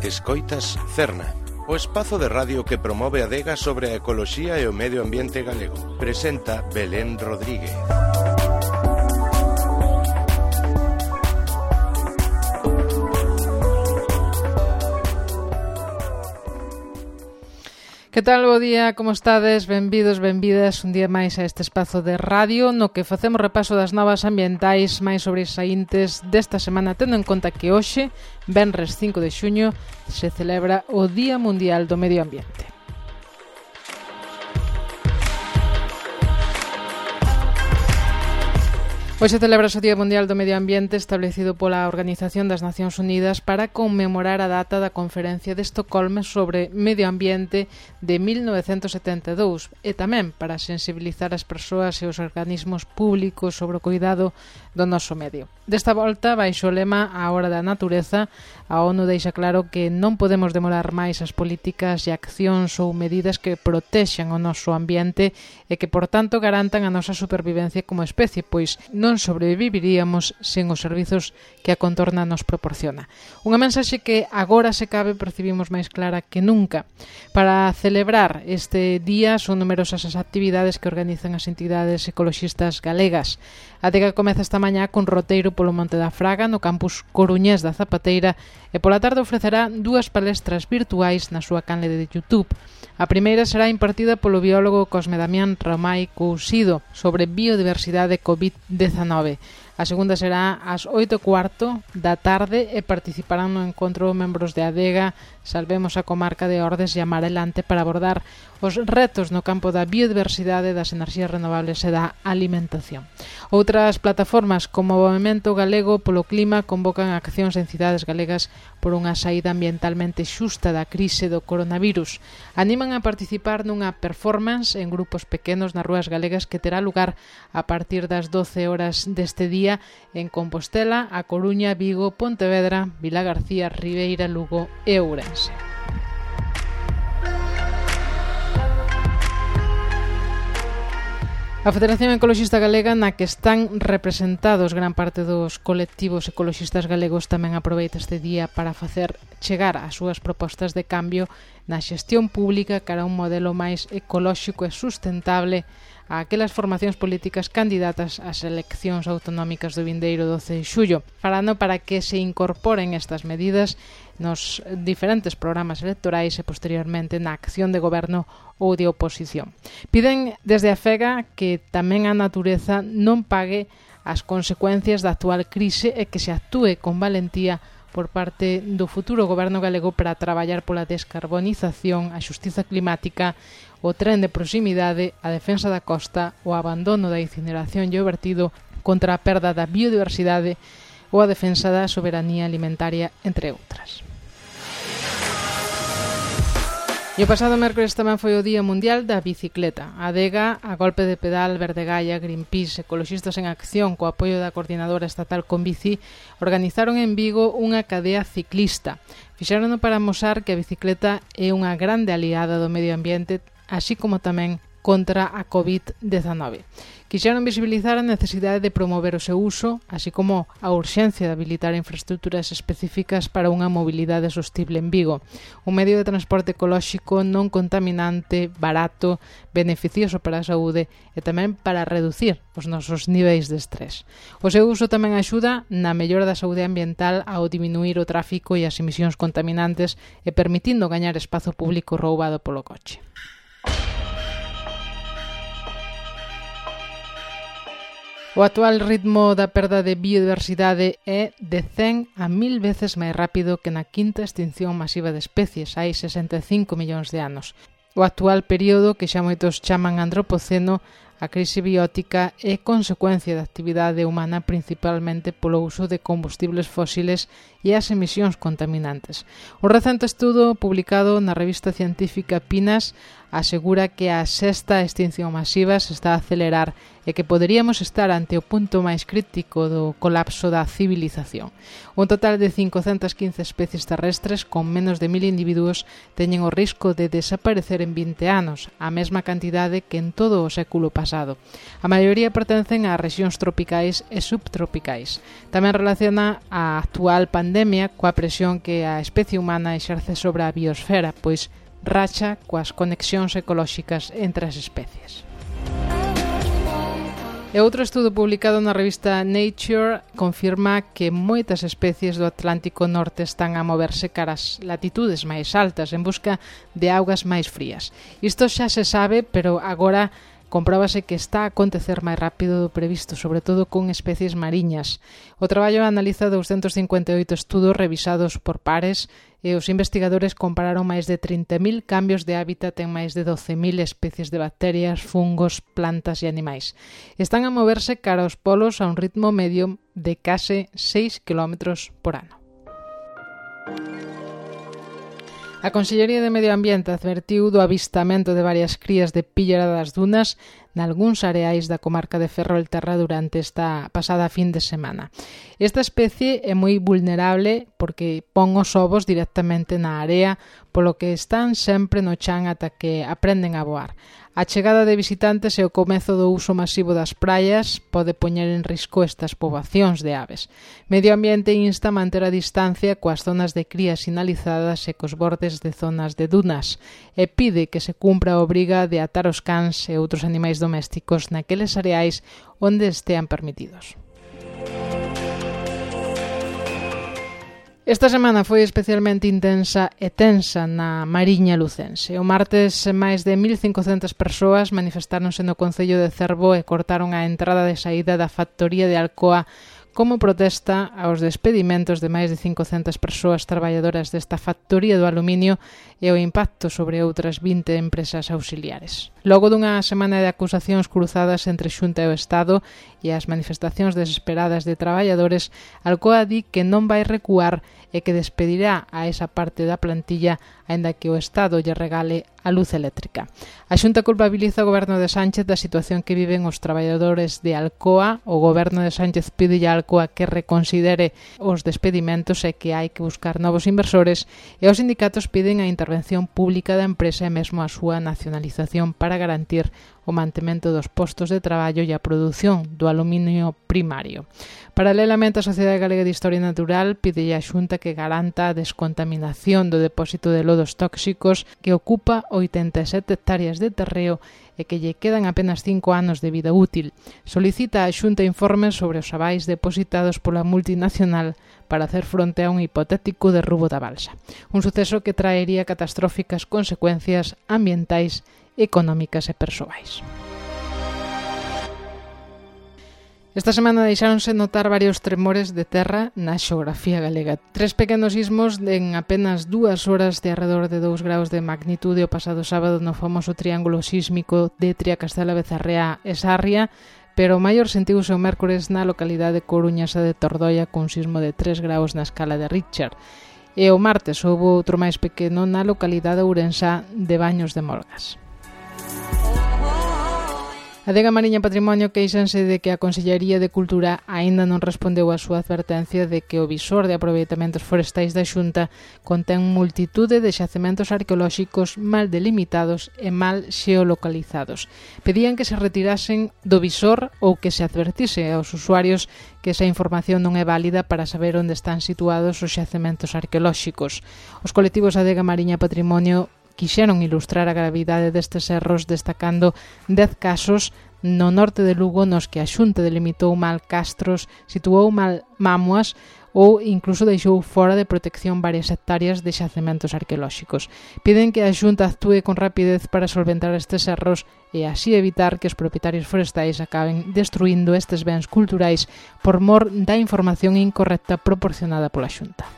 Escoitas Cerna, o espazo de radio que promove a adega sobre a ecoloxía e o medio ambiente galego. Presenta Belén Rodríguez. Que tal, bo día, como estades? Benvidos, benvidas un día máis a este espazo de radio no que facemos repaso das novas ambientais máis sobresaíntes desta semana, tendo en conta que hoxe, venres 5 de xuño, se celebra o Día Mundial do Medio Ambiente. Hoxe celebra o Día Mundial do Medio Ambiente establecido pola Organización das Nacións Unidas para conmemorar a data da Conferencia de Estocolmo sobre Medio Ambiente de 1972 e tamén para sensibilizar as persoas e os organismos públicos sobre o cuidado do noso medio. Desta volta, baixo o lema A Hora da Natureza, a ONU deixa claro que non podemos demorar máis as políticas e accións ou medidas que protexan o noso ambiente e que, por tanto, garantan a nosa supervivencia como especie, pois non sobreviviríamos sen os servizos que a contorna nos proporciona. Unha mensaxe que agora, se cabe, percibimos máis clara que nunca. Para celebrar este día son numerosas as actividades que organizan as entidades ecoloxistas galegas. A adega comeza esta mañá con roteiro polo Monte da Fraga no campus coruñés da Zapateira e pola tarde ofrecerá 2 palestras virtuais na súa canle de YouTube. A primeira será impartida polo biólogo Cosme Damián Romai Cousido sobre biodiversidade COVID-19. A segunda será ás 8:15 da tarde e participarán no encontro membros de Adega, Salvemos a Comarca de Ordes e Amarelante para abordar os retos no campo da biodiversidade, das enerxías renovables e da alimentación. Outras plataformas como o Movemento Galego polo Clima convocan accións en cidades galegas por unha saída ambientalmente xusta da crise do coronavirus. Animan a participar nunha performance en grupos pequenos nas rúas galegas que terá lugar a partir das 12 horas deste día en Compostela, A Coruña, Vigo, Pontevedra, Vilagarcía, Ribeira, Lugo e Ourense. A Federación Ecoloxista Galega, na que están representados gran parte dos colectivos ecoloxistas galegos, tamén aproveita este día para facer chegar as súas propostas de cambio na xestión pública cara a un modelo máis ecolóxico e sustentable a aquelas formacións políticas candidatas ás eleccións autonómicas do vindeiro 12 de xullo, falando para que se incorporen estas medidas nos diferentes programas electorais e posteriormente na acción de goberno ou de oposición. Piden desde a FEGA que tamén a natureza non pague as consecuencias da actual crise e que se actúe con valentía por parte do futuro goberno galego para traballar pola descarbonización, a xustiza climática, o tren de proximidade, a defensa da costa, o abandono da incineración e o vertido contra a perda da biodiversidade ou a defensa da soberanía alimentaria, entre outras. E o pasado mércores tamén foi o Día Mundial da Bicicleta. A Adega, a golpe de pedal, Verdegaia, Greenpeace, Ecoloxistas en Acción, co apoio da Coordinadora Estatal Conbici, organizaron en Vigo unha cadea ciclista. Fixérono para amosar que a bicicleta é unha grande aliada do medio ambiente, así como tamén contra a COVID-19. Quixeron visibilizar a necesidade de promover o seu uso, así como a urxencia de habilitar infraestructuras específicas para unha mobilidade sostible en Vigo. Un medio de transporte ecolóxico non contaminante, barato, beneficioso para a saúde e tamén para reducir os nosos niveis de estrés. O seu uso tamén axuda na mellora da saúde ambiental ao diminuir o tráfico e as emisións contaminantes e permitindo gañar espazo público roubado polo coche. O actual ritmo da perda de biodiversidade é de 100 a 1000 veces máis rápido que na quinta extinción masiva de especies, hai 65 millóns de anos. O actual período, que xa moitos chaman antropoceno, a crise biótica é consecuencia da actividade humana principalmente polo uso de combustibles fósiles e as emisións contaminantes. Un recente estudo publicado na revista científica PNAS asegura que a sexta extinción masiva se está a acelerar e que poderíamos estar ante o punto máis crítico do colapso da civilización. Un total de 515 especies terrestres con menos de 1000 individuos teñen o risco de desaparecer en 20 anos, a mesma cantidade que en todo o século pasado. pasado. A maioría pertencen a rexións tropicais e subtropicais. Tamén relaciona a actual pandemia coa presión que a especie humana exerce sobre a biosfera, pois racha coas conexións ecolóxicas entre as especies. E outro estudo publicado na revista Nature confirma que moitas especies do Atlántico Norte están a moverse cara ás latitudes máis altas en busca de augas máis frías. Isto xa se sabe, pero agora compróbase que está a acontecer máis rápido do previsto, sobre todo con especies mariñas. O traballo analiza 258 estudos revisados por pares e os investigadores compararon máis de 30.000 cambios de hábitat en máis de 12.000 especies de bacterias, fungos, plantas e animais. Están a moverse cara aos polos a un ritmo medio de case 6 km por ano. A Consellería de Medio Ambiente advertiu do avistamento de varias crías de píllera das dunas nalgúns areais da comarca de Ferrolterra durante esta pasada fin de semana. Esta especie é moi vulnerable porque pon os ovos directamente na area, polo que están sempre no chan ata que aprenden a voar. A chegada de visitantes e o comezo do uso masivo das praias pode poñer en risco estas poboacións de aves. Medio Ambiente insta a manter a distancia coas zonas de cría sinalizadas e cos bordes de zonas de dunas e pide que se cumpra a obriga de atar os cans e outros animais domésticos naqueles areais onde estean permitidos. Esta semana foi especialmente intensa e tensa na Mariña lucense. O martes, máis de 1.500 persoas manifestáronse no concello de Cervo e cortaron a entrada e saída da factoría de Alcoa como protesta aos despedimentos de máis de 500 persoas traballadoras desta factoría do aluminio e o impacto sobre outras 20 empresas auxiliares. Logo dunha semana de acusacións cruzadas entre Xunta e o Estado e as manifestacións desesperadas de traballadores, Alcoa di que non vai recuar e que despedirá a esa parte da plantilla aínda que o Estado lle regale a luz eléctrica. A Xunta culpabiliza o goberno de Sánchez da situación que viven os traballadores de Alcoa. O goberno de Sánchez pide a Alcoa que reconsidere os despedimentos e que hai que buscar novos inversores, e os sindicatos piden a intervención pública da empresa e mesmo a súa nacionalización para garantir o mantemento dos postos de traballo e a produción do aluminio primario. Paralelamente, a Sociedade Galega de Historia Natural pide á Xunta que garanta a descontaminación do depósito de lodos tóxicos que ocupa 87 hectáreas de terreo e que lle quedan apenas 5 anos de vida útil. Solicita á Xunta informes sobre os avais depositados pola multinacional para hacer fronte a un hipotético derrubo da balsa. Un suceso que traería catastróficas consecuencias ambientais, económicas e persoais. Esta semana deixáronse notar varios tremores de terra na xeografía galega. 3 pequenos sismos en apenas 2 horas de arredor de 2 graus de magnitude o pasado sábado no famoso triángulo sísmico de Tria, Castela, Bezarrea e Sarria, pero o maior sentiuse o mércores na localidade coruñesa de Tordoia cun sismo de 3 graus na escala de Richter. E o martes houve outro máis pequeno na localidade ourensá de Baños de Molgas. A Adega Mariña Patrimonio queixanse de que a Consellería de Cultura aínda non respondeu á súa advertencia de que o visor de aproveitamentos forestais da Xunta contén multitude de xacementos arqueolóxicos mal delimitados e mal xeolocalizados. Pedían que se retirasen do visor ou que se advertise aos usuarios que esa información non é válida para saber onde están situados os xacementos arqueolóxicos. Os colectivos Adega Mariña Patrimonio quixeron ilustrar a gravidade destes erros destacando 10 casos no norte de Lugo nos que a Xunta delimitou mal castros, situou mal mámoas ou incluso deixou fora de protección varias hectáreas de xacementos arqueolóxicos. Piden que a Xunta actúe con rapidez para solventar estes erros e así evitar que os propietarios forestais acaben destruindo estes bens culturais por mor da información incorrecta proporcionada pola Xunta.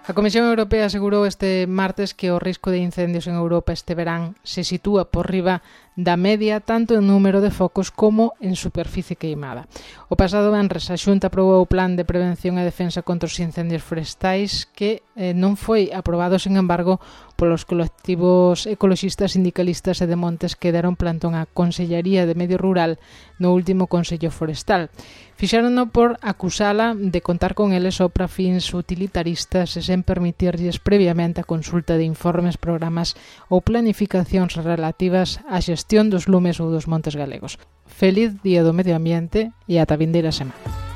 A Comisión Europea asegurou este martes que o risco de incendios en Europa este verán se sitúa por riba da media tanto en número de focos como en superficie queimada. O pasado venres a Xunta aprobou o Plan de Prevención e Defensa contra os Incendios Forestais que non foi aprobado, sen embargo, polos colectivos ecoloxistas, sindicalistas e de montes que deron plantón á Consellería de Medio Rural no último Consello Forestal. Fixérono por acusala de contar con eles só para fins utilitaristas e sen permitirlles previamente a consulta de informes, programas ou planificacións relativas á xestión dos lumes ou dos montes galegos. Feliz Día do Medio Ambiente e ata vindeira semana.